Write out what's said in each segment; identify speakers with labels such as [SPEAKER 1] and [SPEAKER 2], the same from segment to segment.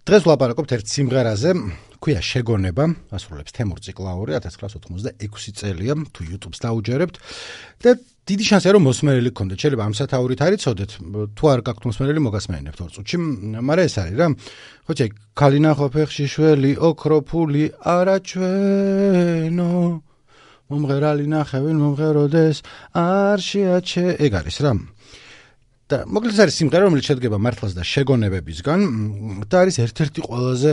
[SPEAKER 1] დღეს ვლაპარაკობთ ერთ სიმღერაზე, ქვია შეგონება, ასრულებს თემურ ციკლაური, 1986 წელია, თუ YouTube-ს დაუჯერებთ და დიდი შანსია რომ მოსმენელი გქონდეთ, შეიძლება ამ სათაურით არ იცოდეთ, თუ არ გაქვთ მოსმენელი მოგასმენინებთ ორ წუთში, მაგრამ ეს არის რა. ხოჭი, ქალინა ყოფეხში შველი, ოქროფული არაჩვენო, მომღერალი ნახევენ მომღეროდეს, არ შეაჩე, ეგ არის რა. და მოკლედ არის სიმღერა, რომელიც შედგება მართლაც და შეგონებებისგან და არის ერთ-ერთი ყველაზე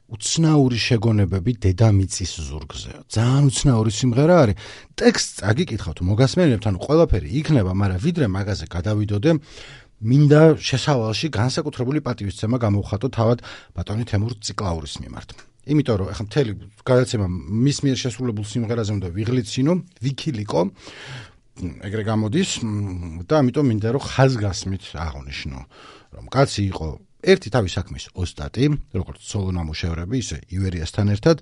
[SPEAKER 1] უცნაური შეგონებები დედამიწის ზურგზე. ძალიან უცნაური სიმღერა არის. ტექსტს აგიკითხავთ, მოგასმენინებთ, ანუ ყველაფერი იქნება, მაგრამ ვიდრე მაგაზე გადავიდოდე, მინდა შესავალში განსაკუთრებული პატივისცემა გამოვხატო თავად ბატონი თემურ ციკლაურის მიმართ. იმიტომ რომ ახლა მთელი გადაცემა მის მიერ შესრულებულ სიმღერაზე უნდა ვიღლიცინო, ვიქილიკო, ეგრე გამოდის და ამიტომ მინდა რომ ხაზგასმით აღვნიშნო, რომ კაცი იყო ერთი თავის საქმის ოსტატი, როგორც სოლო ნამუშევრები, ისე ივერიასთან ერთად.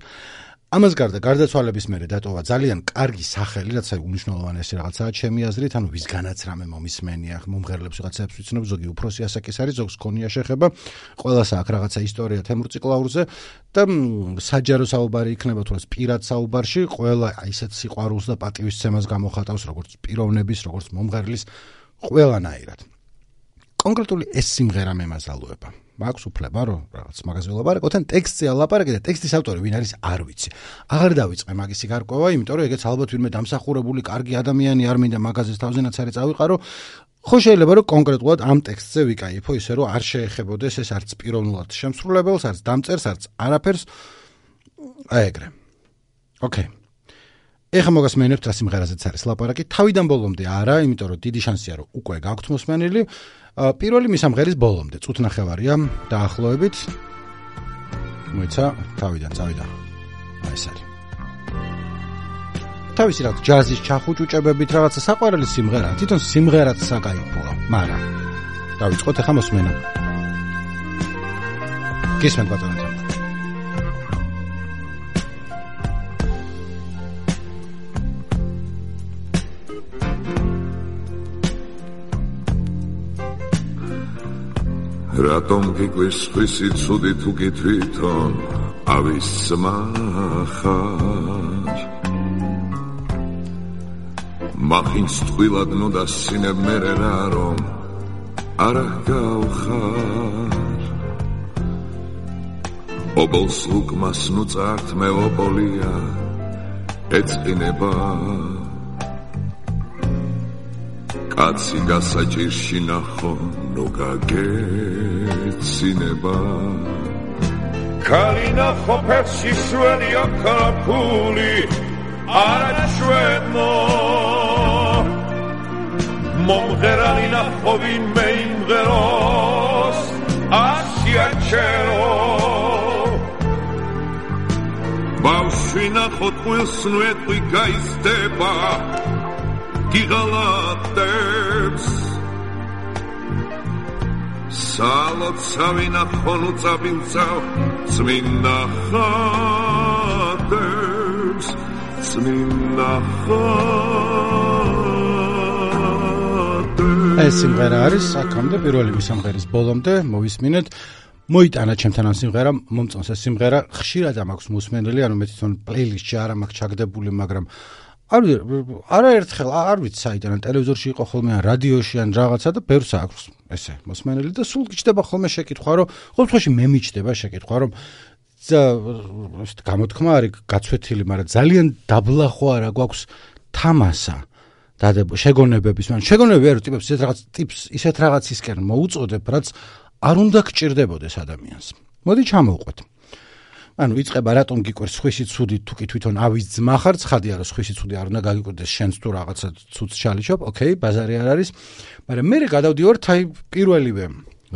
[SPEAKER 1] ამას გარდა გარდაცვალების მერე დატოვა ძალიან კარგი სახელი, რაც უნიშნულოვანესი რაღაცაა ჩემი აზრით, ანუ ვისგანაც რამე მომისმენია, მომღერლებს ვიღაცებს ვიცნობ, ზოგი უფროსი ასაკის არის, ზოგს ქონია შეხება, ყველას აქვს რაღაცა ისტორია თემურ ციკლაურზე და საჯარო საუბარი იქნება თუ რაც პირად საუბარში, ყველა ისეთ სიყვარულს და პატივისცემას გამოხატავს, როგორც პიროვნების, როგორც მომღერლის, ყველანაირად. კონკრეტული ეს სიმღერა მემაზალოება. მაქვს უფლება, რომ რაღაც მაგაზე ვლაპარაკოთ, ან ტექსტზე ვლაპარაკე და ტექსტის ავტორი ვინ არის, არ ვიცი. აღარ დავიწყე მაგისი გარკვევა, იმიტომ რომ ეგეც ალბათ ვინმე დამსახურებული კარგი ადამიანი არ მინდა მაგაზეს თავზენაც არის წავიყარო. ხო შეიძლება რომ კონკრეტულად ამ ტექსტზე ვიკაიფო, ისე რომ არ შეეხებოდეს ეს არც პიროვნულად შემსრულებელს, არც დამწერს, არც არაფერს. აი ეგრე. ოკეი. ეხლა მოგასმენინებთ რა სიმღერაზეც არის ლაპარაკი. თავიდან ბოლომდე არა, იმიტომ რომ დიდი შანსია რომ უკვე გაქვთ მოსმენელი. პირველი მისამღერის ბოლომდე წუთნახევარია დაახლოებით. მოიცა თავიდან წავიდა. აი ეს არის. თავისი რაღაც ჯაზის ჩახუჭუჭებებით რაღაცა საყვარელი სიმღერა, თვითონ სიმღერაც საკაიფოა, მაგრამ დავიწყოთ ახლა მოსმენა. გისმენთ ბატონო.
[SPEAKER 2] რატომ გიკვირს ხისი ცუდი თუ გითვითონ ავისმახარ მახინს ტყვილად ნუ დასინებ მერე რა რომ არა გავხარ ობოლს უკმას ნუ წართ მე ობოლია ეწყინება კაცი გასაჭირში ნახო ნუ გაგეცინება ქალინა ყოფეხში შველი ოქროფული არაჩვენო მომღერალი ნახოვი მე იმღეროს ასიაჩერო ბავშვი ნახო ტყუილს ნუ ეტყვი გაიზდება გიღალატებს სალოცავი ნახო ნუ წაბილწავ წმინდა ხატებს წმინდა ხატებს
[SPEAKER 1] ეს სიმღერა არის აქამდე პირველი მისამღერის ბოლომდე მოვისმინეთ მოიტანა ჩემთან ამ სიმღერამ მომწონს ეს სიმღერა ხშირად მაქვს მოსმენელი ანუ მე თვითონ პლეილისტში არ მაქვს ჩაგდებული მაგრამ არაერთხელ არ ვიცი საიდან ტელევიზორში იყო ხოლმე ან რადიოში ან რაღაცა და ბევრს აქვს ესე მოსმენელი და სულ გიჩდება ხოლმე შეკითხვა რომ ყოველთვის მე მიჩდება შეკითხვა რომ გამოთქმა არის გაცვეთილი მაგრამ ძალიან დაბლა ხო არა გვაქვს თამასა შეგონებების მან შეგონებები არ ტიპებს ისეთ რაღაცისკენ მოუწოდებ რაც არ უნდა გჭირდებოდეს ადამიანს მოდი ჩამოვყვეთ ანუ იწყება რატომ გიკვირს სხვისი ცუდი თუ კი თვითონ ავის ძმა ხარ ცხადია რომ სხვისი ცუდი არ უნდა გაგიკვირდეს შენს თუ რაღაცა ცუდს ჩალიჩობ ოკეი ბაზარი არ არის მაგრამ მე გადავდივართ აი პირველივე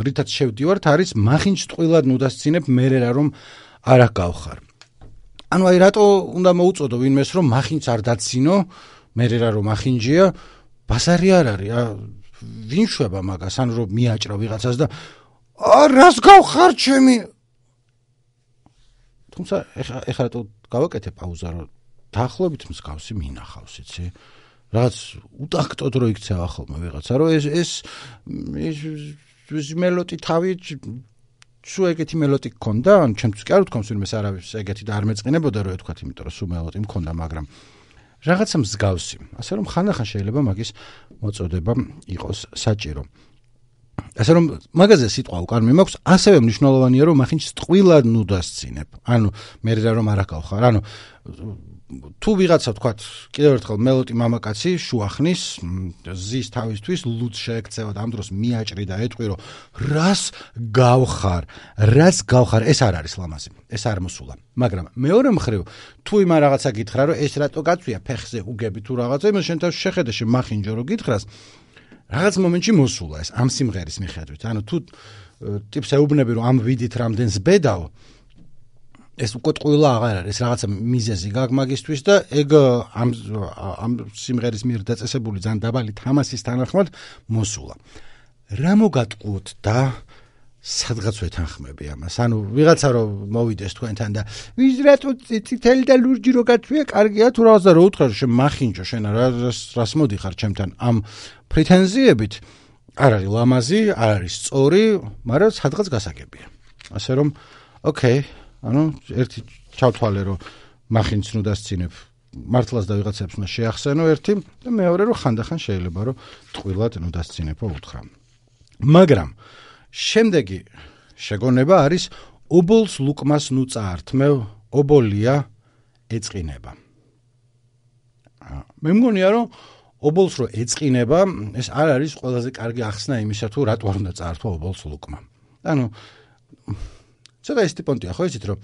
[SPEAKER 1] რითაც შევდივართ არის მახინჯ ტყვილად ნუ დასცინებ მე რა რომ არა გავხარ ანუ აი რატო უნდა მოუწოდო ვინმეს რომ მახინჯს არ დაცინო მე რა რომ მახინჯია ბაზარი არ არის ვინ შვება მაგას ანუ რომ მიაჭრა ვიღაცას და რას გავხარ ჩემი თუმცა ეხლა რატო გავაკეთე პაუზა რომ დაახლოებით მსგავსი მინახავს იცი რაც უტაქტოდ რო იქცევა ხოლმე ვიღაცა რომ ეს მელოტი თავი სულ ეგეთი მელოტი გქონდა, ან ჩემთვის კი არ ვთქვამს ვინმეს არავის ეგეთი და არ მეწყინებოდა რომ ეთქვათ, იმიტომ რომ სულ მელოტი მქონდა, მაგრამ რაღაცა მსგავსი. ასე რომ ხანდახან შეიძლება მაგის მოწოდება იყოს საჭირო. ასე რომ მაგაზე სიტყვა უკან მიმაქვს, ასევე მნიშვნელოვანია რომ მახინჯ ტყვილად ნუ დასცინებ. ანუ მე რომ არ აკავხარ, ანუ თუ ვიღაცა ვთქვათ, კიდევ ერთხელ მელოტი მამაკაცი შუახნის ზის თავისთვის ლუდს შეექცევა და ამ დროს მიაჭრი და ეტყვი რომ რას გავხარ, ეს არ არის ლამაზი, ეს არ მოსულა. მაგრამ მეორე მხრივ, თუ იმ რაღაცა გითხრა რომ ეს რატო გაწვია ფეხზე უგები თუ რაღაცა, იმას შენ თავში შეხედე შემახინჯო რომ გითხრას, რაღაც მომენტში მოსულა ეს ამ სიმღერის მიხედვით. ანუ თუ ტიპს ეუბნები რომ ამ ვიდით რამდენს ბედავ, ეს უკვე ტყუილა აღარ არის, რაღაცა მიზეზი გაქვს მაგისთვის და ეგ ამ სიმღერის მიერ დაწესებული ძალიან დაბალი თამასის თანახმად მოსულა. რა მოგატყუოთ და სადღაც ვეთანხმები ამას? ანუ ვიღაცა რომ მოვიდეს თქვენთან და ვის რატო წითელი და ლურჯი რო გაწვია, კარგია თუ რაღაცა რო უთხრა შენ მახინჯო, შენ რას მოდიხარ ჩემთან ამ პრეტენზიებით, არ არის ლამაზი, არ არის სწორი, მაგრამ სადღაც გასაგებია. ასე რომ, ოკეი, ანუ ერთი ჩავთვალე რომ მახინჯს ნუ დასცინებ, მართლაც და ვიღაცებს უნდა შეახსენო ერთი და მეორე რომ ხანდახან შეიძლება რომ ტყვილად ნუ დასცინებო უთხრა. მაგრამ შემდეგი შეგონება არის ობოლს ლუკმას ნუ წაართმევ, ობოლია ეწყინება. მე მგონია რომ ობოლს რო ეწყინება, ეს არ არის ყველაზე კარგი ახსნა იმისა თუ რატო არ უნდა წაართვა ობოლს ლუკმა. ანუ ცოტა ის ტიპონტია ხო იცით რომ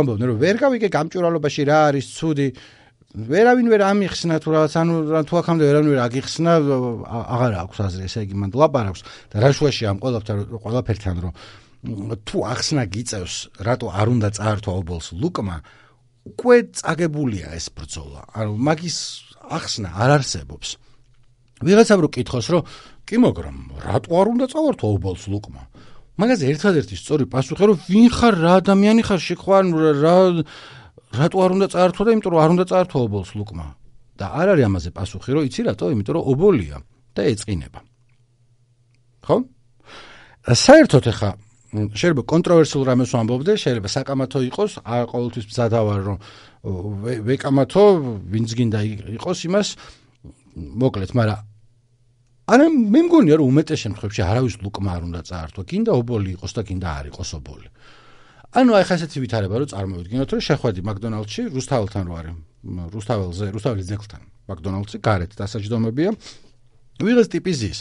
[SPEAKER 1] ამბობდნენ რომ ვერ გავიგე გამჭვირვალობაში რა არის ცუდი, ვერავინ ვერ ამიხსნა თუ რაღაც, ანუ თუ აქამდე ვერავინ ვერ აგიხსნა, აღარ აქვს აზრი, ესე იგი მან ლაპარაკს და რა შუაში ამ ყველაფერთან რომ თუ ახსნა გიწევს რატო არ უნდა წაართვა ობოლს ლუკმა, უკვე წაგებულია ეს ბრძოლა. ანუ მაგის ახსნა არ არსებობს. ვიღაცამ რო კითხოს რომ კი მაგრამ რატო არ უნდა წავართვა ობოლს ლუკმა? მაგაზე ერთადერთი სწორი პასუხი რომ ვინ ხარ, რა ადამიანი ხარ, შეხვარ რატო არ უნდა წაართვა და იმიტომ რომ არ უნდა წაართვა ობოლს ლუკმა. და არ არის ამაზე პასუხი რომ იცი რატო? იმიტომ რომ ობოლია და ეწყინება. ხო? საერთოდ ახლა შეიძლება კონტროვერსიულ რამეს ვამბობდე, შეიძლება საკამათო იყოს, არ ყოველთვის მზად ავარ რომ ვეკამათო, ვინც გინდა იყოს იმას, მოკლედ, მაგრამ არა მე მგონია რომ უმეტეს შემთხვევებში არავის ლუკმა არ უნდა წაართვა, გინდა ობოლი იყოს და გინდა არ იყოს ობოლი. ანუ აი ხა ესეთი ვითარება რომ წარმოვიდგინოთ რომ შეხვედი მაკდონალდში რუსთაველთან რო არის, რუსთაველის ძეგლთან მაკდონალდში გარეთ დასაჯდომებია. ვიღაც ტიპი ზის.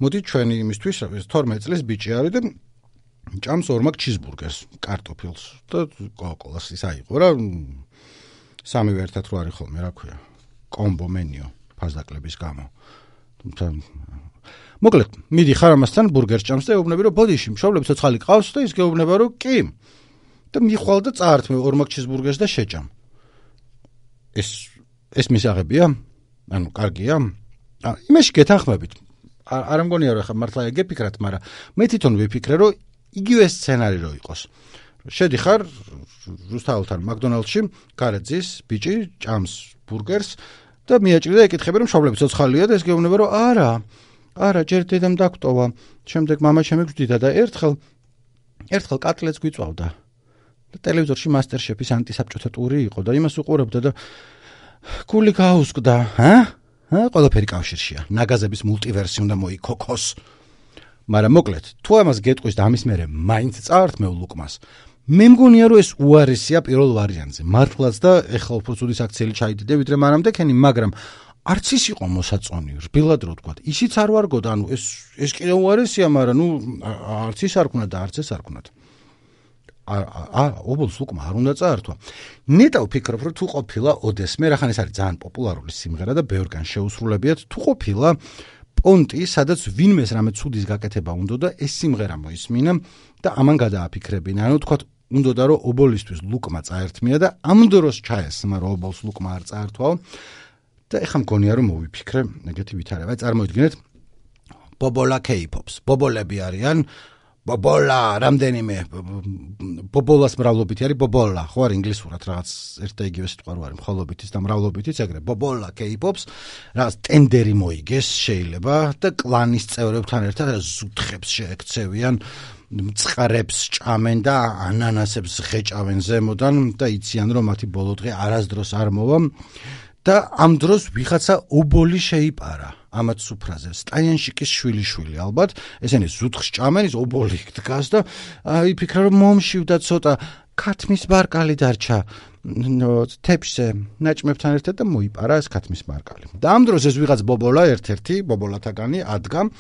[SPEAKER 1] მოდი ჩვენი იმისთვის 12 წლის ბიჭი არის და ჭამს ორმაგ ჩიზბურგერს, კარტოფილს და კოკოლას ის აიღო რა. სამივე ერთად რო არის ხოლმე, რა ქვია, კომბო მენიუ ფასდაკლების გამო. მოკლედ, მიდიხარ ამასთან ბურგერს ჭამს და ეუბნები რომ ბოდიში, მშობლები ცოცხალი ყავს და ის გეუბნება რომ კი. და მიხვალ და წაართმევ ორმაგ ჩიზბურგერს და შეჭამ. ეს მისაღებია? ანუ კარგია? იმაში გეთანხმებით. არ მგონია რომ ხა მართლა ეგეფიქრათ, მაგრამ მე თვითონ ვიფიქრე რომ იგივე სცენარი რო იყოს. შედიხარ რუსთაველთან მაკდონალდში, გარეთ ზის ბიჭი ჭამს ბურგერს და მიაჭრი და ეკითხები რომ მშობლები ცოცხალია და ეს გეუბნება რომ არა, ჯერ დედამ დაგტოვა, შემდეგ მამა ჩემი გვდიდა და ერთხელ კატლეტს გვიწვავდა. და ტელევიზორში მასტერშეფის ანტისაბჭოთა ტური იყო და იმას უყურებდა და გული გაუსკდა, ყველაფერი კავშირშია. ნაგაზების მულტივერსი უნდა მოიქოქოს. მაგრამ მოკლედ, თუ ამას გეტყვის და ამის მერე მაინც წაართმევ ლუკმას, მე მგონია რომ ეს უარესია პირველ ვარიანტზე. მართლაც და ეხლა უფრო ცუდი საქციელი ჩაიდიდე ვიდრე მანამდე ქენი, მაგრამ არც ის იყო მოსაწონი, რბილად რო თქვა. ისიც არ ვარგოდა, ანუ ეს კიდე უარესია, მაგრამ ნუ არც ის არ ქნა და არც ეს არ ქნათ. ობოლს ლუკმა არ უნდა წაართვა. ნეტა ვფიქრობ, რომ თუ ყოფილა ოდესმე, რახან ეს არის ძალიან პოპულარული სიმღერა და ბევრგან შეუსრულებიათ, თუ ყოფილა პონტი, სადაც ვინმეს რამე ცუდის გაკეთება უნდა და ეს სიმღერა მოისმინა და ამან გადააფიქრებინა. ანუ თქვა უნდა რომ ობოლისთვის ლუკმა წაერთმია და ამ დროს ჩაესმა რომ ობოლს ლუკმა არ წაერთვაო და ეხლა მგონია რომ მოვიფიქრე ეგეთი ვითარება. წარმოიდგინეთ ბობოლა K-pops. ბობოლები არიან ბობოლა, რამდენიმე ბობოლას მრავლობითი არის ბობოლა, ხო არ ინგლისურად რაღაც ერთ და იგივე სიტყვა რო არის მხოლობითიც და მრავლობითიც ეგრე ბობოლა K-pops, რაღაც ტენდერი მოიგეს შეიძლება და კლანის წევრებთან ერთად ზუთხებს შეექცევიან მწყრებს ჭამენ და ანანასებს ღეჭავენ ზემოდან და იციან რომ მათი ბოლო დღე არასდროს არ მოვა და ამ დროს ვიღაცა ობოლი შეიპარა ამათ სუფრაზე სტაიანშიკის შვილიშვილი ალბათ ესენი ზუთხს ჭამენ ის ობოლი დგას და იფიქრა რომ მომშივდა ცოტა ქათმის ბარკალი დარჩა თეფშზე ნაჭმებთან ერთად და მოიპარა ეს ქათმის ბარკალი და ამ დროს ეს ვიღაც ბობოლა ერთ-ერთი ბობოლათაგანი ადგა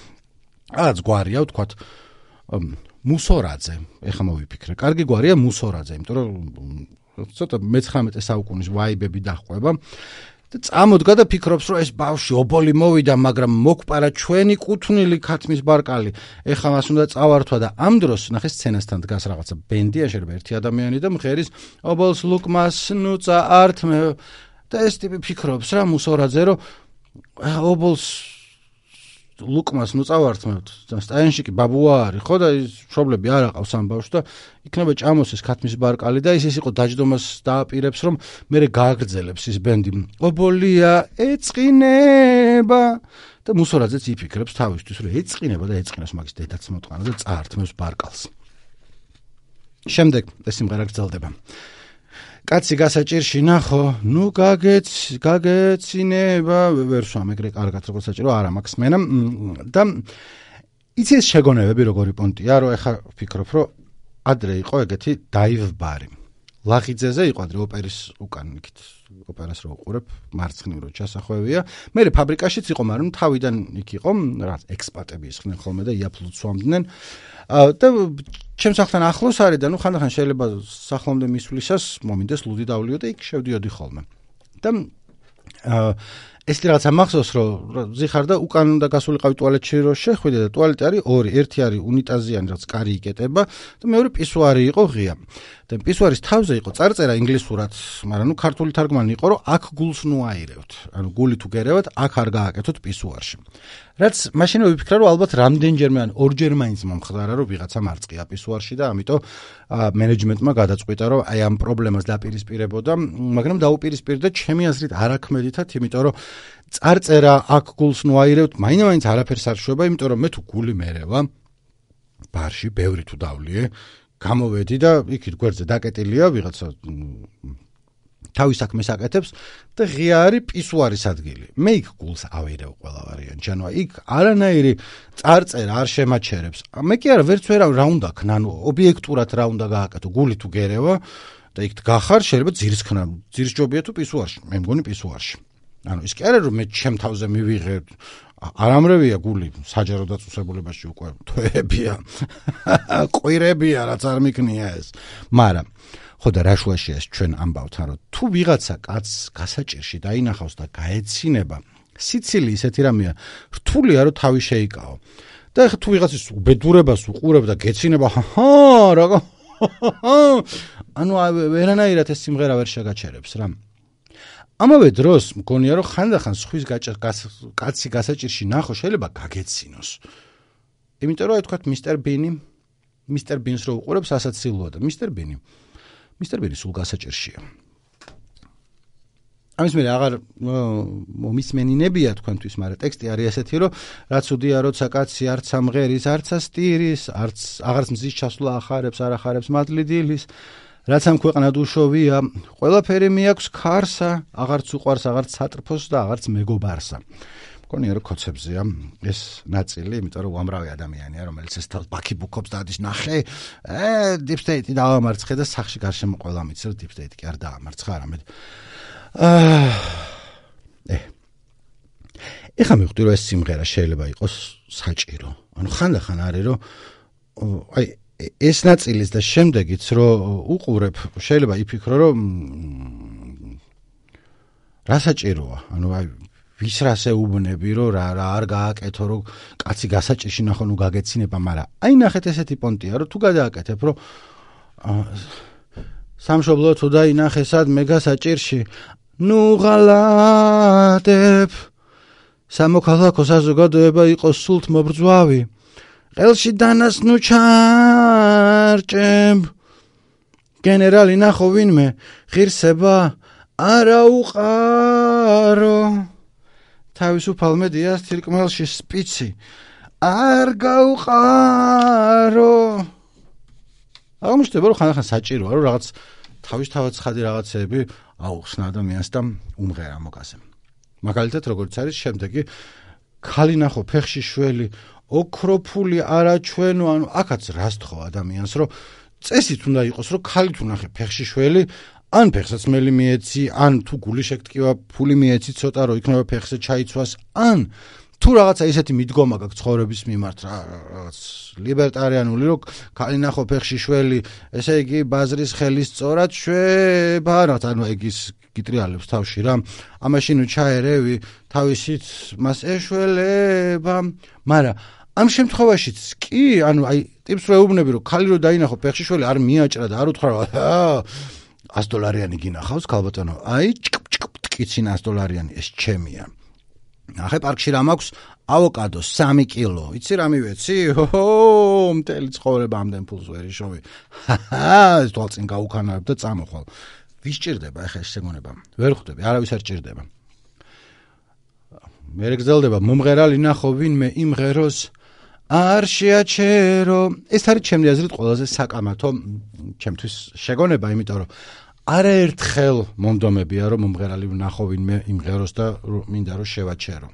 [SPEAKER 1] რაღაც გვარია ვთქვათ მუსორაძე ეხლა მოვიფიქრე კარგი გვარია მუსორაძე იმიტომ რომ ცოტა მე-19 საუკუნის ვაიბები დაჰყვება და წამოდგა და ფიქრობს რომ ეს ბავშვი ობოლი მოვიდა მაგრამ მოგპარა ჩვენი კუთვნილი ქათმის ბარკალი ეხლა მას უნდა წავართვა და ამ დროს ნახე სცენასთან დგას რაღაცა ბენდია შეიძლება ერთი ადამიანი და მღერის ობოლს ლუკმას ნუწა ართმე და ეს ტიპი ფიქრობს რა მუსორაძე რომ ობოლს ლუკმას ნუწავართმევთ და სტაიანშიკი ბაბუა არის ხო და ის მშობლები არ აყავს ამ ბავშვს და იქნება ჭამოს ეს ქათმის ბარკალი და ის იყო დაჯდომას დააპირებს რომ მერე გააგრძელებს ის ბენდი ობოლია ეწყინება და მუსორაძეც იფიქრებს თავისთვის რომ ეწყინება და ეწყინოს მაგის დედაც მოტყანა და წაართმევს ბარკალს შემდეგ ეს სიმღერა გრძელდება კაცი გასაჭირში ნახო ნუ გაგეცინება ვერ სვამ ეგრე კარგად როგორ საჭირო არა მაქვს მენა და იცი ეს შეგონებები როგორი პონტია რომ ეხა ვფიქრობ რომ ადრე იყო ეგეთი დაივ ბარი ლაღიძეზე იყო ადრე ოპერის უკან იქით ოპერას რო უყურებ მარცხნივ რო ჩასახვევია მე ფაბრიკაშიც იყო მაგრამ თავიდან იქ იყო რაღაც ექსპატები ისხდნენ ხოლმე და იაფლუც სვამდნენ და ჩემს ახთან ახლოს არის და ნუ ხანდახან შეიძლება სახლამდე მისვლისას მომინდეს ლუდი დავლიო და იქ შევდიოდი ხოლმე და ეს რაღაცა მახსოვს რომ ზიხარ და უკან უნდა გასულიყავი ტუალეტში რომ შეხვიდე და ტუალეტი არის ორი ერთი არის უნიტაზიანი რაც კარი იკეტება და მეორე პისუარი იყო ღია და პისუარის თავზე იყო წარწერა ინგლისურად მაგრამ ნუ ქართული თარგმანი იყო რომ აქ გულს ნუ აირევთ ანუ გული თუ გერევათ აქ არ გააკეთოთ პისუარში რაც მაშინვე ვიფიქრე რომ ალბათ რამდენჯერმე ან ორჯერ მაინც მომხდარა რომ ვიღაცა მარწყია პისუარში და ამიტომ მენეჯმენტმა გადაწყვიტა რომ აი ამ პრობლემას დაპირისპირებოდა მაგრამ დაუპირისპირდა ჩემი აზრით არაქმედითად იმიტომ რომ წარწერა აქ გულს ნუ აირევთ მაინც არაფერს არ შვება იმიტომ რომ მე თუ გული მერევა ბარში ბევრი თუ დავლიე გამოვედი და იქით გვერდზე დაკეტილია ვიღაცა თავის საქმეს აკეთებს და ღია არის პისუარის ადგილი მე იქ გულს ავირევ ყველა ვარიანტში ანუ იქ არანაირი წარწერა არ შემაჩერებს მე კი არა ვერც ვერავ რა უნდა ქნა ანუ ობიექტურად რა უნდა გააკეთო გული თუ გერევა და იქ გახარ შეიძლება ძირს ქნა ძირს ჯობია თუ პისუარში მე მგონი პისუარში ანუ ის კი არა რომ მე ჩემ თავზე მივიღე არამრევია გული საჯარო დაწესებულებაში უკვე თვეებია ყვირებია რაც არ მიქნია ეს მაგრამ ხო და რა შუაშია ეს ჩვენ ამბავთან რომ თუ ვიღაცა კაცს გასაჭირში დაინახავს და გაეცინება სიცილი ისეთი რამეა რთულია რომ თავი შეიკაო და ეხლა თუ ვიღაცის უბედურებას უყურებ და გეცინება რა ანუ ვერანაირად ეს სიმღერა ვერ შეგაჩერებს რა ამავე დროს მგონია რომ ხანდახან სხვის კაცი გასაჭირში ნახო შეიძლება გაგეცინოს იმიტომ რომ თქვა მისტერ ბინს რო უყურებს ასაცილოა და მისტერ ბინი სულ გასაჭირშია ამის მე აღარ მომისმენინებია თქვენთვის მაგრამ ტექსტი არის ესეთი რომ რაც უდია როცა კაცი არც ამღერის არც ასტირის არც აღარც მზის ჩასვლა ახარებს არ ახარებს მადლი დილის რაც ამ ქვეყნად უშოვია ყველაფერი მიაქვს ქარსა აღარც უყვარს აღარც სატრფოს და აღარც მეგობარსა მგონია რომ კოცებზეა ეს ნაწილი იმიტომ რომ უამრავი ადამიანია რომელიც ეს თავს ბაქიბუქობს და ადის ნახე deep state დაამარცხე და სახში გარშემო ყველა მიცი რომ deep state კი არ დაამარცხა არამედ ეხლა მივხვდი რომ ეს სიმღერა შეიძლება იყოს საჭირო ანუ ხანდახან არის რომ აი ეს ნაწილის და შემდეგიც რომ უყურებ შეიძლება იფიქრო რომ რა საჭიროა ანუ აი ვის რას ეუბნები რომ რა არ გააკეთო რომ კაცი გასაჭირში ნახო ნუ გაგეცინება მაგრამ აი ნახეთ ესეთი პონტია რომ თუ გადააკეთებ რომ სამშობლო თუ დაინახე სადმე გასაჭირში ნუ ღალატებ სამოქალაქო საზოგადოება იყოს სულთ მობრძვავი ყელში დანას ნუ ჩარჭებ გენერალი ნახო ვინმე ღირსება არა უყარო თავისუფალ მედიას თირკმელში სპიცი არ გაუყარო აღმოჩნდება რომ ხან საჭიროა რომ რაღაც თავისთავად ცხადი რაღაცეები აუხსნა ადამიანს და უმღერა მოკაზე. მაგალითად როგორც არის შემდეგი ქალი ნახო ფეხში შველი ოქროფული არაჩვენო ანუ აქაც რას თხოვ ადამიანს რომ წესით უნდა იყოს რომ ქალი თუ ნახე ფეხში შველი ან ფეხსაცმელი მიეცი ან თუ გული შეგტკივა ფული მიეცი ცოტა რომ იქნება ფეხზე ჩაიცვას ან თუ რაღაცა ისეთი მიდგომა გაქვს ცხოვრების მიმართ რაღაც ლიბერტარიანული რომ ქალი ნახო ფეხში შველი ესე იგი ბაზრის ხელის სწორად შვება რაღაც ანუ ეგ ის გიტრიალებს თავში რა ამაშინ ჩაერევი თავისით მას ეშველება მაგრამ ამ შემთხვევაშიც კი ანუ აი ტიპს რო ეუბნები რომ ხალი რო დაინახო ფეხში შველი არ მიაჭრა და არ უთხრა $100 გინახავს ქალბატონო აი ტკიცი $100 ეს ჩემია ახე პარკში რა მაქვს ავოკადო 3 კილო იცი რა მივეცი მთელი ცხოვრება ამდენ ფულს ვერ იშოვი ეს თვალწინ გაუქანავებ და წამოხვალ ვის ჭირდება ახლა ეს შეგონება ვერ ხვდები არავის არ ჭირდება მე გძელდება მომღერალი ნახო ვინმე იმღეროს არ შეაჩერო ეს არის ჩემი აზრით ყველაზე საკამათო ჩემთვის შეგონება იმიტომ რომ არაერთხელ მომდომებია რომ მომღერალი ნახო ვინმე იმღეროს და მინდა რომ შევაჩერო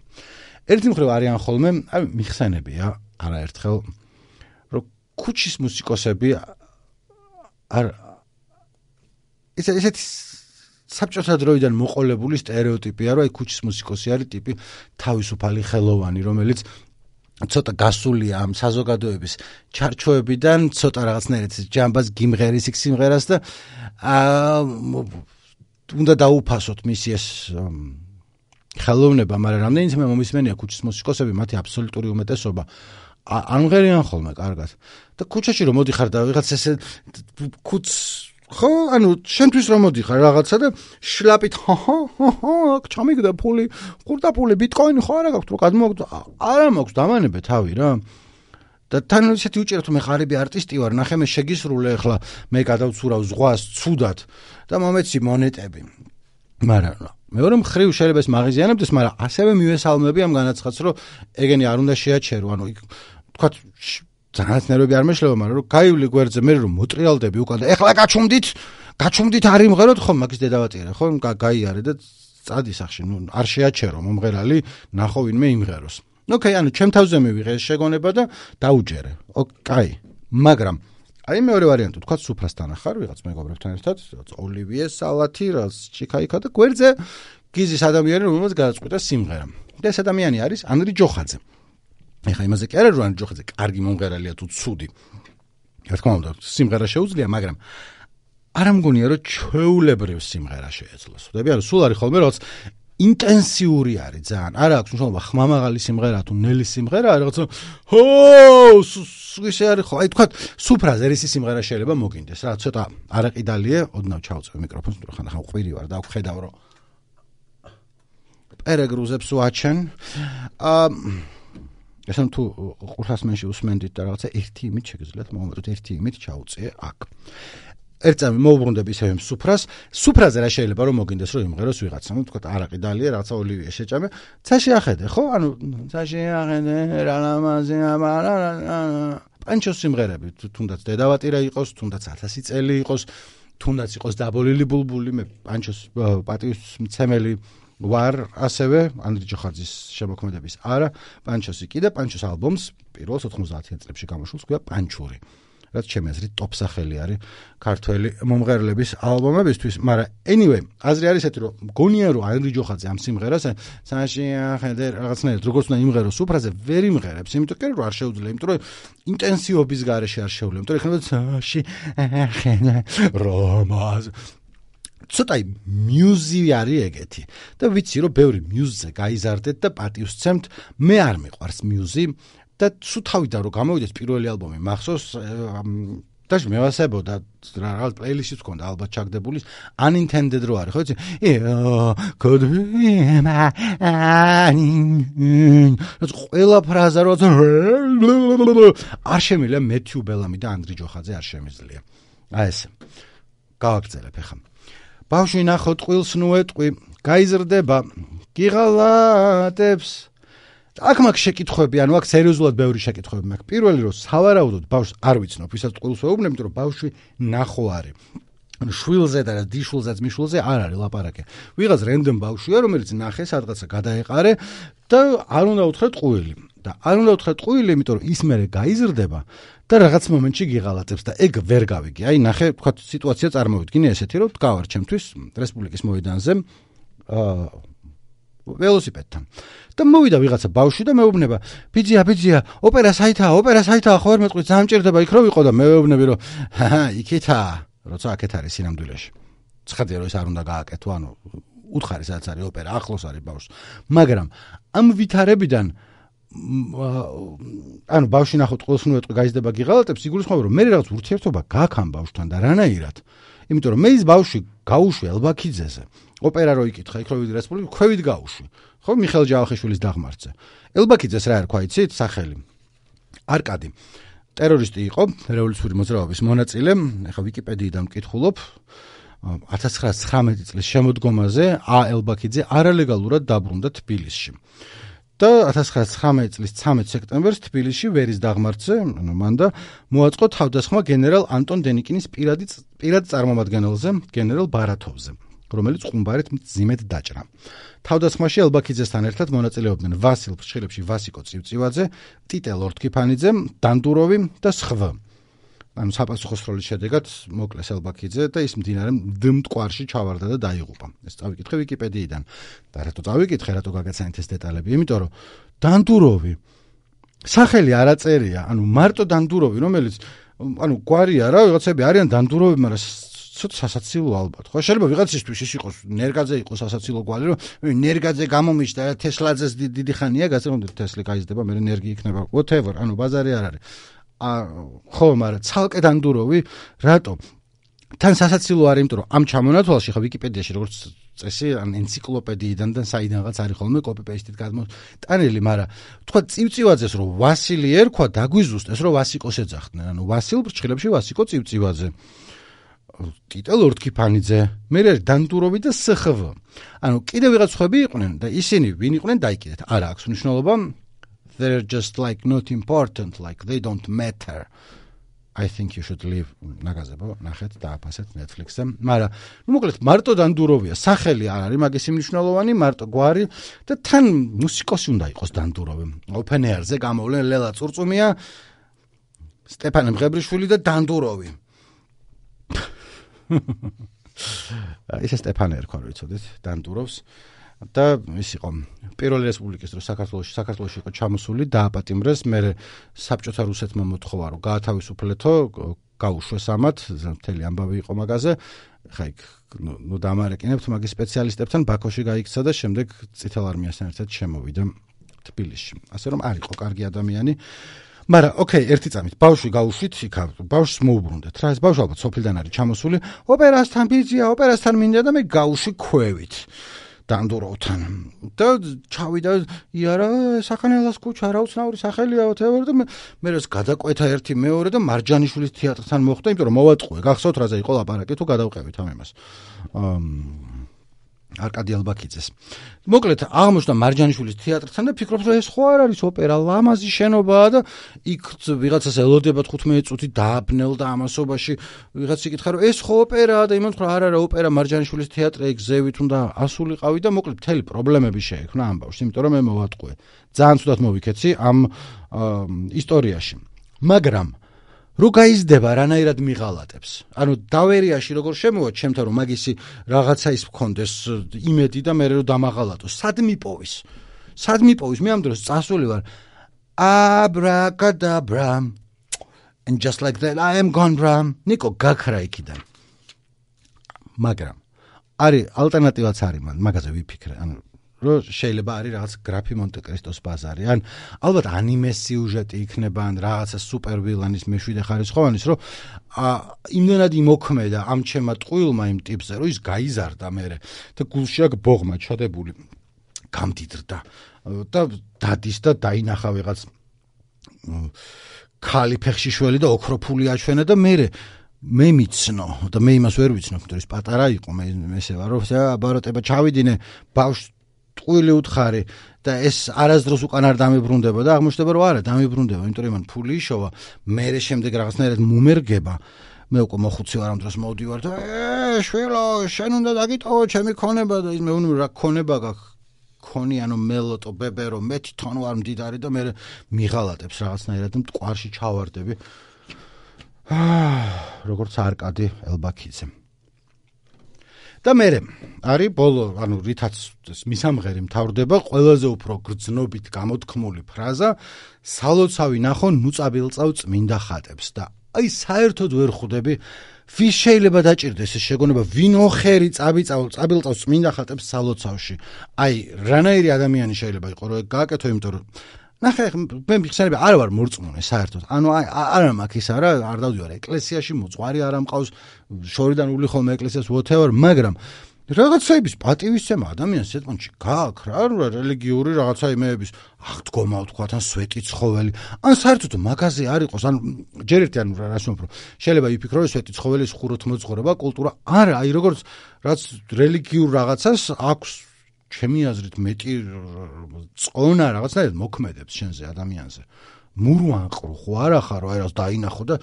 [SPEAKER 1] ერთი მხრივ არიან ხოლმე აი მიხსენებია არაერთხელ რომ ქუჩის მუსიკოსები არ ესეთი საბჭოთა დროიდან მოყოლებული სტერეოტიპია რომ აი ქუჩის მუსიკოსი არის ტიპი თავისუფალი ხელოვანი რომელიც ცოტა გასულია ამ საზოგადოების ჩარჩოებიდან ცოტა რაღაცნაირად ჯამბას გიმღერის იქ სიმღერას და უნდა დაუფასოთ მისი ეს ხელოვნება მაგრამ რამდენიც მე მომისმენია ქუჩის მუსიკოსები მათი აბსოლუტური უმეტესობა ამღერიან ხოლმე კარგად და ქუჩაში რომ მოდიხარ და ვიღაც ესე ქუჩს ხო ანუ შენთვის რომ მოდიხარ რაღაცა და შლაპით ჩამიგდა ფული ყურდა ფული ბიტკოინი ხო არა გაქვს რომ გადმოგდა არა მაქვს დამანებე თავი რა და თან ისეთი უჭერთ მე ღარიბი არტისტი ვარ ნახე მე შეგისრულე ახლა მე გადავცურავ ზღვას ცუდად და მომეცი მონეტები მაგრამ მეორე მხრივ შეიძლება ეს მაღიზიანებდეს მაგრამ ასევე მივესალმები ამ განაცხადს რომ ეგენი არ უნდა შეაჩერო ანუ თქვათ ძალიან ნერვები არ მეშლება მაგრამ რომ გაივლი გვერდზე მე რომ მოტრიალდები უკან და ეხლა გაჩუმდით არ იმღეროთ ხო მაგის დედავატირე ხო გაიარე და წადი სახში ნუ არ შეაჩერო მომღერალი ნახო ვინმე იმღეროს ოკეი ანუ ჩემ თავზე მივიღე ეს შეგონება და დაუჯერე ოკეი მაგრამ აი მეორე ვარიანტი თქვა სუფრასთან ახარ ვიღაც მეგობრებთან ერთად ოლივიე სალათი რაც ჩიკაიკა და გვერდზე გიზის ადამიანი რომელსაც გადაწყვიტა სიმღერა და ეს ადამიანი არის ანდრი ჯოხაძე ეხა იმაზე კი არა რომ ანდრი ჯოხაძე კარგი მომღერალია თუ ცუდი რა თქმა უნდა სიმღერა შეუძლია მაგრამ არ ამგონია რომ ჩვეულებრივ სიმღერა შეეძლოს ხვდები ანუ სულ არის ხოლმე რაღაც ინტენსიური არის ძალიან არა აქვს მნიშვნელობა ხმამაღალი სიმღერა თუ ნელი სიმღერა რაღაცა ისე არის ხო აი თქვა სუფრაზერის სიმღერა შეიძლება მოგინდეს რა ცოტა არაყიდალია ოდნავ ჩავწევ მიკროფონს თუ ხან ყვირი ვარ და ვხედავ რომ პერეგრუზებს ვაჩენ ესენ თუ ყურსასმენში უსმენდით და რაღაცა ერთი იმით შეგიძლიათ მომენტოდ ერთი იმით ჩაუწიე აქ ერთამე მოუბრუნდები ისევ სუფრაზე რა შეიძლება რომ მოგინდეს რომ იმღეროს ვიღაცა ну თქვა არაყიდალია რაღაცა ოლივიე შეჭამე ცაში ახედე ხო ანუ ცაში ახედე რა ლამაზი პანჩოს სიმღერები თუნდაც დედავატირა იყოს თუნდაც 1000 წელი იყოს თუნდაც იყოს დაბოლილი ბულბული მე პანჩოს პატივისმცემელი ვარ ასევე ანდრი ჯოხაძის შემოქმედების არა პანჩოსი კიდე პანჩოს ალბომს პირველ 90-იან წლებში გამოშულს ქვია პანჩური რაც ჩემი აზრით ტოპ სახელი არის ქართველი მომღერლების ალბომებისთვის, მაგრამ anyway, აზრი არის ესეთი, რომ მგონია რომ ანდრი ჯოხაძე ამ სიმღერას საში ახედე რაღაცნაირად როგორც უნდა იმღეროს სუფრაზე ვერ იმღერებს, იმიტომ რომ არ შეუძლია, იმიტომ რომ ინტენსივობის გარეშე არ შეუძლია, იმიტომ რომ ეხლა საში ახედე რომას ცოტა მიუზი არის ეგეთი და ვიცი რომ ბევრი მიუზზე გაიზარდეთ და პატივს სცემთ, მე არ მიყვარს მიუზი და სულ თავიდან რომ გამოვიდეს პირველი ალბომი მახსოვს დაში მევასებოდა რაღაც პლეილისტიც ჰქონდა ალბათ ჩაგდებული unintended რო არის ხო იცი could be ყველა ფრაზა რო არ შემიძლია მეთიუ ბელამი და ანდრი ჯოხაძე არ შემიძლია აი ეს გავაგრძელებ ახლა ბავშვი ნახო ტყილს ნუ ეტყვი გაიზრდება გიღალატებს აქ მაქვს შეკითხვები, ანუ აქ სერიოზულად ბევრი შეკითხვები მაქვს. პირველი რომ სავარაუდოდ ბავშვს არ ვიცნობ, ვისაც ტყუილს ვეუბნებ, იმიტომ რომ ბავშვი ნახო არის. ანუ შვილზე და დიშვილზეც მიშვილზე არ არის ლაპარაკი. ვიღაც რენდომ ბავშვია, რომელიც ნახე, სადღაცა გადაეყარე და არ უნდა უთხრა ტყუილი. და არ უნდა უთხრა ტყუილი, იმიტომ რომ ის მერე გაიზრდება და რაღაც მომენტში გიღალატებს და ეგ ვერ გავიგი. აი, ნახე, თქვა სიტუაცია წარმოვიდგინე ესეთი, რომ დგავარ ჩემთვის რესპუბლიკის მოედანზე ველოსიპედთან. და მოვიდა ვიღაცა ბავშვი და მეუბნება, ბიძია, ოპერა საითაა, ხო ვერ მეტყვი, ძალიან მჭირდება იქ რო ვიყო და მე ვეუბნები, რომ იქითაა, როცა აქეთ არის სინამდვილეში. ცხადია, რომ ეს არ უნდა გააკეთო, ანუ უთხარი სადაც არის ოპერა, ახლოს არის ბავშვს. მაგრამ ამ ვითარებიდან ანუ ბავშვი ნახო ტყუილს ნუ ეტყვი, გაიზრდება გიღალატებს, იგულისხმება, რომ მე რაღაც ურთიერთობა გაქვს ამ ბავშვთან და რანაირად. იმიტომ რომ მე ის ბავშვი გაუშვი ელბაქიძეზე. ოპერა რო იკითხა, იქ რო ვიდი რესპუბლიკა, ქვევით გაუშვი. ხო, მიხეილ ჯავახიშვილის დაღმართზე. ელბაქიძეს რა ერქვა, იცით, სახელი? არკადი. ტერორისტი იყო, რევოლუციური მოძრაობის მონაწილე, ეხლა ვიკიპედიიდან მკითხულობ. 1919 წლის შემოდგომაზე ელბაქიძე არალეგალურად დაბრუნდა თბილისში. და 1919 წლის 13 სექტემბერს თბილისში ვერის დაღმართზე, ანუ მანდა მოაწყო თავდასხმა გენერალ ანტონ დენიკინის პირად წარმომადგენელზე, გენერალ ბარათოვზე, რომელიც ყუმბარით მძიმედ დაჭრა. თავდასხმაში ელბაქიძესთან ერთად მონაწილეობდნენ ვასილ ფრჩხილებში ვასიკო წივწივაძე, ტიტე ლორდ-ქიფანიძე, დანდუროვი და სხვა. ანუ საპასუხოსროლის შედეგად მოკლეს ელბაქიძე და ის მდინარე მტკვარში ჩავარდა და დაიღუპა. ეს წავიკითხე ვიკიპედიიდან. და რატო წავიკითხე, რატო გაგაცანით ეს დეტალები? იმიტომ რომ დანდუროვი სახელი არ აწერია, ანუ მარტო დანდუროვი, რომელიც ანუ გვარია რა, ვიღაცები არიან დანდუროვი, მაგრამ ცოტა სასაცილო ალბათ. ხო, შეიძლება ვიღაცისთვის ის იყოს ნერგაძე იყოს სასაცილო გვარი, რომ ნერგაძე გამომიშდა, თესლაძეს დიდი ხანია, გასაგონდეთ თესლი გაიზრდება, მე ნერგი იქნება, whatever, ანუ ბაზარი არ არის. ხო, მაგრამ ცალკე დანდუროვი, რატო? თან სასაცილო არის, იმიტომ რომ ამ ჩამონათვალში ხა ვიკიპედიაში როგორც წესი, ან ენციკლოპედიიდან და საიდანღაც არის ხოლმე კოპი-პეისტით გადმოტანილი, მაგრამ თქვა წივწივაძეს რომ ვასილი ერქვა, დაგვიზუსტეს რომ ვასიკოს ეძახდნენ, ანუ ვასილ ფრჩხილებში ვასიკო წივწივაძე. ტიტე ლორდ-ქიფანიძე, მე დანდუროვი და სხვ. ანუ კიდევ ვიღაც ხვები იყვნენ და ისინი ვინ იყვნენ დაიკიდეთ. არა აქვს მნიშვნელობა. They're just like not important, like they don't matter. I think you should leave. ნაგაზებო, ნახეთ დააფასეთ Netflix-ზე. მაგრამ ნუ მოკლედ მარტო დანდუროვია, სახელი არ არის მაგის მნიშვნელოვანი, მარტო გვარი და თან მუსიკოსი უნდა იყოს დანდუროვი. Open Air-ზე გამოვლენ ლელა წურწუმია, სტეფანე მღებრიშვილი და დანდუროვი. ისე სტეფანე ერქვა რო იცოდეთ, დანდუროვს. და ის იყო პირველი რესპუბლიკის დროს საქართველოში იყო ჩამოსული, დააპატიმრეს, მე საბჭოთა რუსეთმა მოთხოვა რომ გაათავისუფლეთო, გაუშვეს ამათ, მთელი ამბავი იყო მაგაზე. ხა იქ ნუ დამარეკინებთ მაგის სპეციალისტებთან ბაქოში გაიქცა და შემდეგ წითელ არმიასთან ერთად შემოვიდა თბილისში. ასე რომ არ იყო კარგი ადამიანი. მაგრამ ოკეი, ერთი წამით ბავშვი გაუშვით, იქა ბავშვს მოუბრუნდეთ. რა ეს ბავშვი ალბათ სოფლიდან არის ჩამოსული, ოპერასთან ბიძია, ოპერასთან მინდა და მე გაუშვი ქვევით. დანდუროვთან და ჩავიდა იარა საქანელას ქუჩა რა უცნაური სახელია whatever და მე რას გადაკვეთა ერთი მეორე და მარჯანიშვილის თეატრთან მოხვდა, იმიტომ რომ მოვატყუე. გახსოვთ რაზე იყო ლაპარაკი, თუ გადავყევით ამ იმას. არკადი ელბაქიძეს. მოკლედ აღმოჩნდა მარჯანიშვილის თეატრთან და ფიქრობ რომ ეს ხო არ არის ოპერა, ლამაზი შენობაა და იქ ვიღაცას ელოდება 15 წუთი დააბნელდა ამასობაში. ვიღაც იკითხა რომ ეს ხო ოპერაა და იმან თქვა არა ოპერა მარჯანიშვილის თეატრი ეგ ზევით უნდა ასულიყავი და მოკლედ მთელი პრობლემები შეექმნა ამ ბავშვს, იმიტომ რომ მე მოვატყუე. ძალიან ცუდად მოვიქეცი ამ ისტორიაში. მაგრამ რო გაიზრდება რანაირად მიღალატებს. ანუ დავერიაში როგორ შემოვა ჩემთან რომ მაგისი რაღაცა ის მქონდეს იმედი და მე რო დამაღალატოს. სად მიპოვის? მე ამ დროს წასული ვარ. Abracadabra. And just like that I am gone bra. ნიკო გაქრა იქიდან. მაგრამ არის ალტერნატივაც არის მაგაზე ვიფიქრე. ანუ რო შეიძლება არის რაღაც გრაფი მონტე-კრისტოს ბაზარი, ან ალბათ ანიმე სიუჟეტი იქნება, ან რაღაცა სუპერ ვილანის მეშვიდე ხარისხოვანის, რომ იმდენად იმოქმედა ამ ჩემმა ტყუილმა იმ ტიპზე, რომ ის გაიზარდა მერე და გულში აქ ბოღმა ჩადებული გამდიდრდა და დადის და დაინახა ვიღაც ქალი ფეხშიშველი და ოქროფული აჩვენა და მე მიცნო და მე იმას ვერ ვიცნობ, რომ ის პატარა იყო, მე ესე ვარ, რომ აბაროტება ჩავიდინე ბავშვს ტყუილი უთხარი და ეს არასდროს უკან არ დამიბრუნდება და აღმოჩნდება რომ არა დამიბრუნდება, იმიტომ რომ იმან ფული იშოვა, მერე შემდეგ რაღაცნაირად მუმერგება. მე უკვე მოხუცი ვარ ამ დროს მოვდივარ და შვილო, შენ უნდა დაგიტოვო ჩემი ქონება და ის მე უნუ რა ქონება გაქვს. ქონიანო მელოტო ბებერო მე თვითონ ვარ მდიდარი და მე მიღალატებს რაღაცნაირად მტკვარში ჩავარდები. როგორც არკადი ელბაქიძე. და მე არის ბოლო, ანუ რითაც მისამღერი მთავრდება, ყველაზე უფრო გრძნობით გამოთქმული ფრაზა, სალოცავი ნახო ნუწაბილწავ წმინდა ხატებს და აი საერთოდ ვერ ხვდები ვის შეიძლება დაჭირდეს ეს შეგონება, ვინ ოხერი წაბილწავს წმინდა ხატებს სალოცავში. აი რანაირი ადამიანი შეიძლება იყოს რომ გააკეთო, იმიტომ რომ ნახე მე მიხსენები არ ვარ მორწმუნე საერთოდ. ანუ არა მაქვს ის არა, არ დავდივარ ეკლესიაში, მოწვარი არ ამყავს, შორიდან ული ხოლმე ეკლესიას whatever, მაგრამ რაღაცაების პატივისცემა ადამიანს ეთმონში გააქვს რა, რელიგიური რაღაცა იმეების აღდგომა ვთქვათ, ან სვეტი ცხოველი. ან საერთოდ მაგაზე არ იყოს, ან ჯერ ერთი ანუ რას ვამბობ, შეიძლება იფიქრო რომ სვეტი ცხოველის ხუროთ მოძღვრება კულტურა. არა, აი როგორც რაც რელიგიურ რაღაცას აქვს ჩემი აზრით მეტი წონა რაღაცნაირად მოქმედებს შენზე ადამიანზე. მურვანყრო ხო არა ხარო, აი რას დაინახო და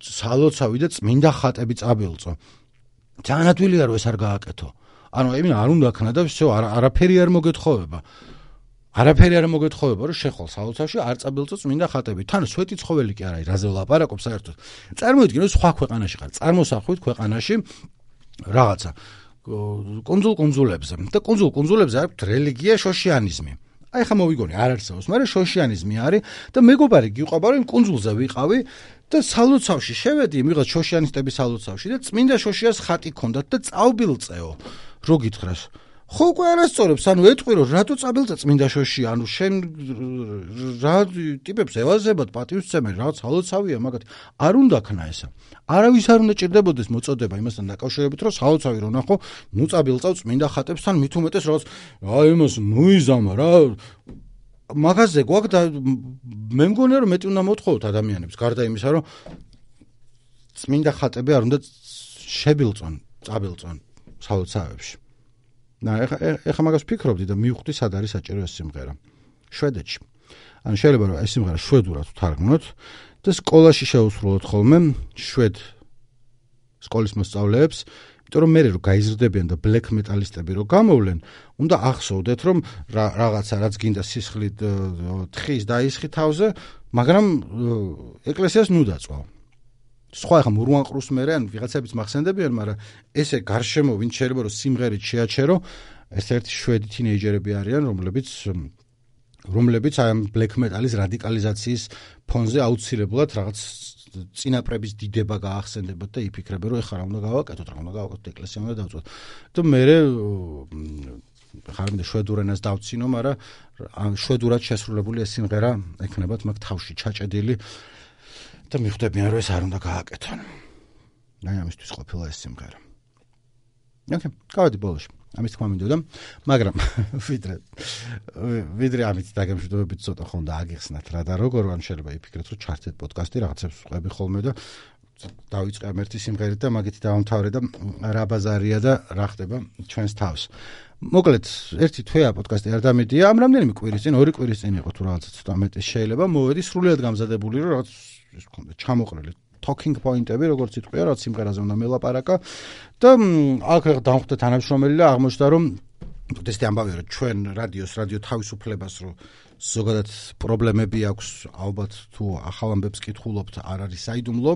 [SPEAKER 1] სალოცავი და წმინდა ხატები წაბილწო. ძალიან ადვილია რომ ეს არ გააკეთო. ანუ იმენ არ უნდა ქნა და всё, არაფერი არ მოგეთხოვება. არაფერი არ მოგეთხოვება რომ შეხვალ სალოცავში არ წაბილწო წმინდა ხატები. თან სვეტი ცხოველი კი არა, რაზე ვლაპარაკობ საერთოდ. წარმოიდგინე რომ სხვა ქვეყანაში ხარ, წარმოსახვით ქვეყანაში რაღაცა კონძულებზე და კონძულებზე აქვს რელიგია, შოშიანიზმი. აი ხა მოვიგონი არ არსებობს, მაგრამ შოშიანიზმი არის და მეგობარი გიყვება რომ კონძულზე ვიყავი და სალოცავში შევედი, მიღაც შოშიანისტების სალოცავში და წმინდა შოშიას ხატი ქონდათ და წავბილწეო. რო გითხრას. ხო უკვე არასწორებს, ანუ ეტყვი რომ რატო წაბილწე წმინდა შოშია, ანუ შენ რა ტიპებს ევაზებად პატივისცემენ, რაღაც სალოცავია მაგათი. არ უნდა ქნა ესა. არავის არ უნდა ჭირდებოდეს მოწოდება იმასთან დაკავშირებით, რომ სალოცავი რო ნახო, ნუ წაბილწავ წმინდა ხატებსთან მით უმეტეს რაღაც აი იმას ნუიზამა რა. მაგაზე გვაქვს და მე მგონია რომ მეტი უნდა მოთხოვოთ ადამიანებს, გარდა იმისა, რომ წმინდა ხატები არ უნდა შებილწონ, წაბილწონ სალოცავებში. ეხა მაგას ვფიქრობდი და მივხვდი სად არის საჭირო ეს სიმღერა. შვედეთში. ანუ შეიძლება რომ ეს სიმღერა შვედურად ვთარგმნოთ და სკოლაში შევუსრულოთ ხოლმე შვედ სკოლის მოსწავლეებს, იმიტომ რომ მე რო გაიზრდებიან და ბლეკ მეტალისტები რო გამოვლენ, უნდა ახსოვდეთ რომ რაღაცა რაც გინდა სისხლით თხის დაისხი თავზე, მაგრამ ეკლესიას ნუ დაწვა. სხვა ხა მურვანყრუს მერე ან ვიღაცების მახსენდებიან, მაგრამ ესე გარშემო ვინ შეიძლება რომ სიმღერით შეაჩერო, ერთ-ერთი შვედი თინეიჯერები არიან, რომლებიც აი ამ ბლეკ მეტალის რადიკალიზაციის ფონზე აუცილებლად რაღაც წინაპრების დიდება გაახსენდებათ და იფიქრებენ რომ ეხლა რა უნდა გავაკეთოთ, რა უნდა გავაკეთოთ, ეკლესია უნდა დავწვათ. და მერე ხარმინდა შვედურ ენას დავცინო, მაგრამ შვედურად შესრულებული ეს სიმღერა ექნებათ მაგ თავში ჩაჭედილი და მიხვდებიან რომ ეს არ უნდა გააკეთონ. აი ამისთვის ყოფილა ეს სიმღერა. ოკეი, გავედი ბოლოში. ამის თქმა მინდოდა, მაგრამ ვიდრე ამით დაგემშვიდობებით ცოტა ხონდა აგიხსნათ რა და როგორ, ან შეიძლება იფიქრეთ რომ ჩართეთ პოდკასტი, რაღაცებს ვყვები ხოლმე და დავიწყე ამ ერთი სიმღერით და მაგით დავამთავრე და რა ბაზარია და რა ხდება ჩვენს თავს. მოკლედ, ერთი თვეა პოდკასტი არ დამედია, ამ რამდენიმე კვირის წინ, 2 კვირის წინ იყო თუ რაღაცა ცოტა მეტი შეიძლება, მოვედი სრულიად გამზადებული რომ რაღაც ის ხონდა ჩამოყრილი talking point-ები, როგორც იტყვია, რაც სიმღერაზე უნდა მელაპარაკა და აქ დავხვდე თანამშრომელი და აღმოჩნდა რომ ეს ამბავია რომ ჩვენ რადიო თავისუფლებას რომ ზოგადად პრობლემები აქვს, ალბათ თუ ახალ ამბებს კითხულობთ, არ არის საიდუმლო,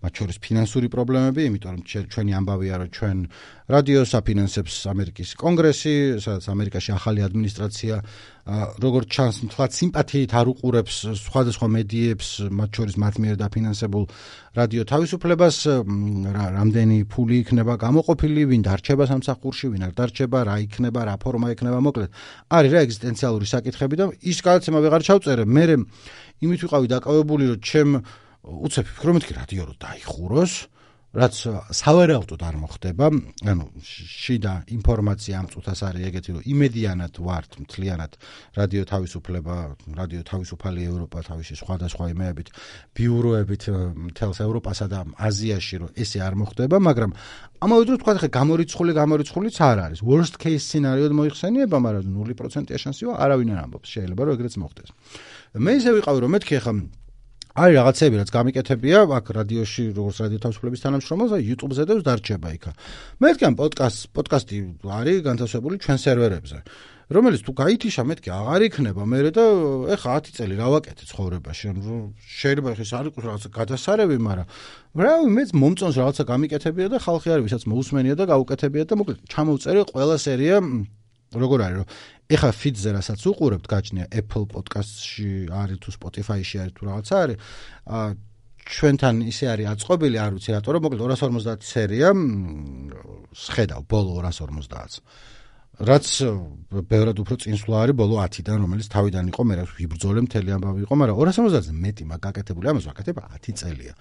[SPEAKER 1] მათ შორის ფინანსური პრობლემები, იმიტომ რომ ჩვენი ამბავია რომ ჩვენ რადიოს აფინანსებს ამერიკის კონგრესი, სადაც ამერიკაში ახალი ადმინისტრაცია როგორც ჩანს, თლად სიმპათიით არ უყურებს სხვადასხვა მედიებს, მათ შორის მათ მიერ დაფინანსებულ რადიო თავისუფლებას, რამდენი ფული იქნება გამოყოფილი, ვინ დარჩება სამსახურში, ვინ არ დარჩება, რა იქნება, რა ფორმა იქნება, მოკლედ. არის რა ეგზისტენციალური საკითხები და ის გადაცემა ვეღარ ჩავწერე. მე იმით ვიყავი დაკავებული, რომ ჩემ უცებ ვფიქრობ, მეთქი რადიო რო დაიხუროს, რაც სავარაუდოდ არ მოხდება, ანუ შიდა ინფორმაცია ამ წუთას არის ეგეთი, რომ იმედიანად ვართ მთლიანად რადიო თავისუფლება, რადიო თავისუფალი ევროპა თავისი სხვადასხვა იმეებით, ბიუროებით მთელს ევროპასა და აზიაში, რომ ესე არ მოხდება, მაგრამ ამავე დროს თქვა ხე გამორიცხულიც არ არის. Worst case scenario-д მოიხსენიება, მაგრამ 0%-ია შანსია, არავინ არ ამბობს, შეიძლება რომ ეგრეც მოხდეს. მე ისე ვიყავი, რომ მეთქი ხა არის რაღაცები, რაც გამიკეთებია, აქ რადიოში, როგორც რადიო თავისუფლების თანამშრომელს, YouTube-ზე და დარჩება იქა. მეთქი ამ პოდკასტი არის განთავსებული ჩვენ სერვერებზე, რომელიც თუ გაითიშა, მეთქი აღარ იქნება მერე და ეხა 10 წელი რა ვაკეთე ცხოვრებაში, ანუ შეიძლება ხეს არ იყოს რაღაცა გადასარევი, მაგრამ რავი, მეც მომწონს რაღაცა გამიკეთებია და ხალხი არის, ვისაც მოусმენია და გაუკეთებია და მოკლედ ჩამოვწერე ყველა სერია როგორ არის, რომ ეხა feed-ზე რასაც უყურებთ, გაჩნია Apple Podcast-ში არის თუ Spotify-ში არის თუ რაღაცა არის, ჩვენთან ისე არის აწყობილი, არ ვიცი რატო, რომ მოკლედ 250 სერია სხედავ ბოლო 250-ს. რაც ბევრად უფრო წინსვლა არის ბოლო 10-დან, რომელიც თავიდან იყო, მე რა ვიბრძოლე მთელი ამბავი იყო, მაგრამ 250-ზე მეტი მაგაკეთებული, ამას ვაკეთებ 10 წელია.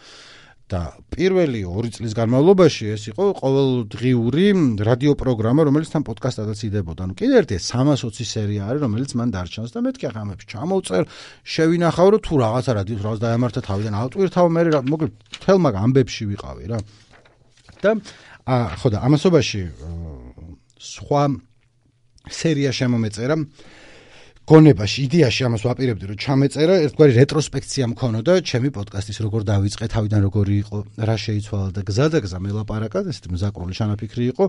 [SPEAKER 1] და პირველი 2 წლის განმავლობაში ეს იყო ყოველდღიური რადიო პროგრამა, რომელიც თან პოდკასტადაც იდებოდა. ანუ კიდევ ერთი 320 სერია არის, რომელიც მან დარჩენს და მეთქი ახლა ამებს ჩამოვწერ, შევინახავ, რომ თუ რაღაცა რადიოს რაღაც დაემართა თავიდან ავტვირთავ, მე მოკლედ თელ მაგ ამბებში ვიყავი რა. და ხო და ამასობაში სხვა სერია შემომეწერა გონებაში, იდეაში ამას ვაპირებდი, რომ ჩამეწერა ერთგვარი რეტროსპექცია მქონოდა ჩემი პოდკასტის, როგორ დავიწყე, თავიდან როგორი იყო, რა შეიცვალა და გზა მელაპარაკა, ესეთი მზაკრული ჩანაფიქრი იყო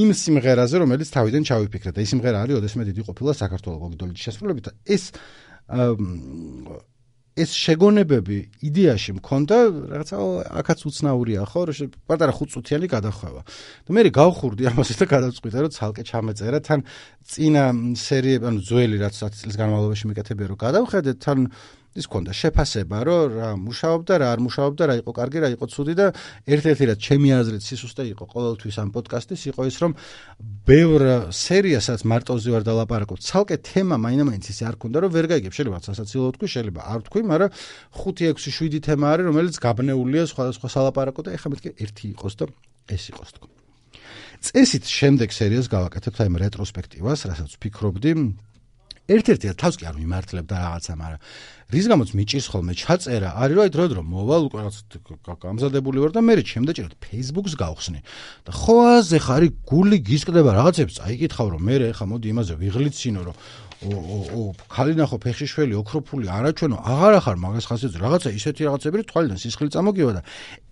[SPEAKER 1] იმ სიმღერაზე, რომელიც თავიდან ჩავიფიქრე და ის სიმღერა არის ოდესმე დიდი ყოფილა საქართველოს გოგიდოლიძის შესრულებით და ეს შეგონებები იდეაში მქონდა, რაღაცა აქაც უცნაურია, ხო, რომ პატარა 5 წუთიანი გადახვევა. და მე გავხურდი ამაზე და გადავწყვიტე, რომ ცალკე ჩამეწერა, თან წინა სერიები, ანუ ძველი რაც 10 წლის განმავლობაში მიკეთებია, რომ გადავხედეთ, თან ის ქონდა შეფასება, რომ რა მუშაობდა, რა არ მუშაობდა, რა იყო კარგი, რა იყო ცუდი და ერთ-ერთი რაც ჩემი აზრით სისუსტე იყო ყოველთვის ამ პოდკასტის, იყო ის, რომ ბევრ სერიასაც მარტოზე ვარ დალაპარაკობ, ცალკე თემა მაინც ისე არ ქონდა, რომ ვერ გაიგებ, შეიძლება სასაცილო თქვი, შეიძლება არ თქვი, მაგრამ 5-6-7 თემა არის, რომელიც გაბნეულია სხვადასხვა სალაპარაკო და ეხლა მეთქი ერთი იყოს და ეს იყოს თქო. წესით შემდეგ სერიას გავაკეთებთ აი რეტროსპექტივას, რასაც ვფიქრობდი, ერთ-ერთი თავს კი არ მიმართლებდა რაღაცა, მაგრამ რის გამოც მიჭირს ხოლმე ჩაწერა, არის რომ აი დრო მოვალ უკვე რაღაც გამზადებული ვარ და მე შემდაჭერად Facebook-ს გავხსნი. და ხო აზე ხარი გული გისკდება რაღაცებს, წაიკითხავ რომ მე ხა მოდი იმაზე ვიღლიცინო რომ ქალინახო ფეხშიშველი ოქროფული არაჩვენო აღარ ახარ მაგას ხასიათზე რაღაცა ისეთი რაღაცები რომ თვალიდან სისხლი წამოგივა და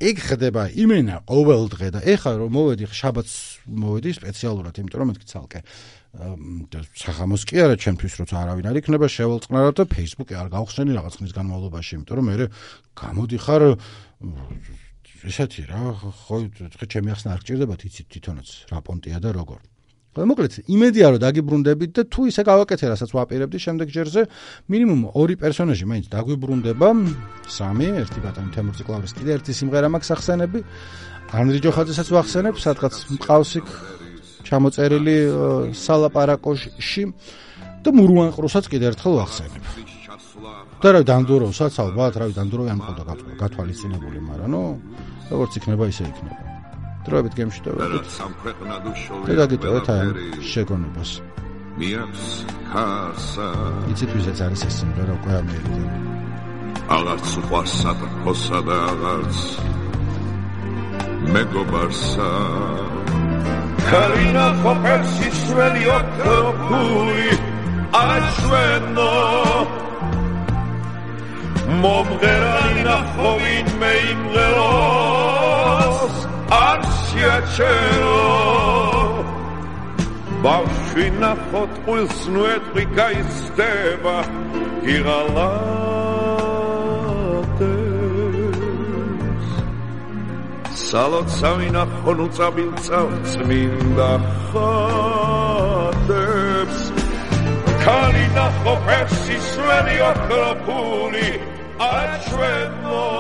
[SPEAKER 1] ეგ ხდება იმენა ყოველ დღე და ეხა რომ მოვედი შაბათს მოვედი სპეციალურად იმიტომ რომ მეთქი ცალკე სახამოს კი არა ჩემთვის როცა არავინ არ იქნება შევალწყნარო და Facebook-ი არ გავხსნენი რაღაც ხნის განმავლობაში იმიტომ რომ მე გამოდიხარ ესეთი რა ხო ჩემი ახსნა არ გჭირდებათ იცით თვითონაც რა პონტია და როგორ მოკლედ იმედია რომ დაგიბრუნდებით და თუ ისე გავაკეთე რასაც ვაპირებდი შემდეგ ჯერზე მინიმუმ 2 პერსონაჟი მაინც დაგვიბრუნდება 3 ერთი ბატონი თემურ ციკლაურის კიდე ერთი სიმღერა მაქვს ახსენები ანდრი ჯოხაძესაც ვახსენებ სადღაც მყავს იქ ჩამოწერილი სალაპარაკოში და მურუანყრუსაც კიდე ერთხელ ვახსენებ და რა დანდუროვსაც ალბათ რა დანდუროვი არ მყავდა გათვალისწინებული მაგრამ ნუ როგორც იქნება ისე იქნება დროებით გემშვიდობებით და დაგიტოვეთ ამ შეგონებას მიაქვს ხარსა იცით ვიზეც არის ეს სიმღერა უკვე ამერიდან აღარც უყვარსა და ხოსა და აღარც მეგობარსა
[SPEAKER 3] Karina Kopersi sveli okropuri ačveno Momgerana hovin me imgelos arsjačeno Bavšina hotqul snuet rika isteba giralates Salotsamina honucabilca წმინდა ხატებს Kalina Kopersi sveli okropuri ačveno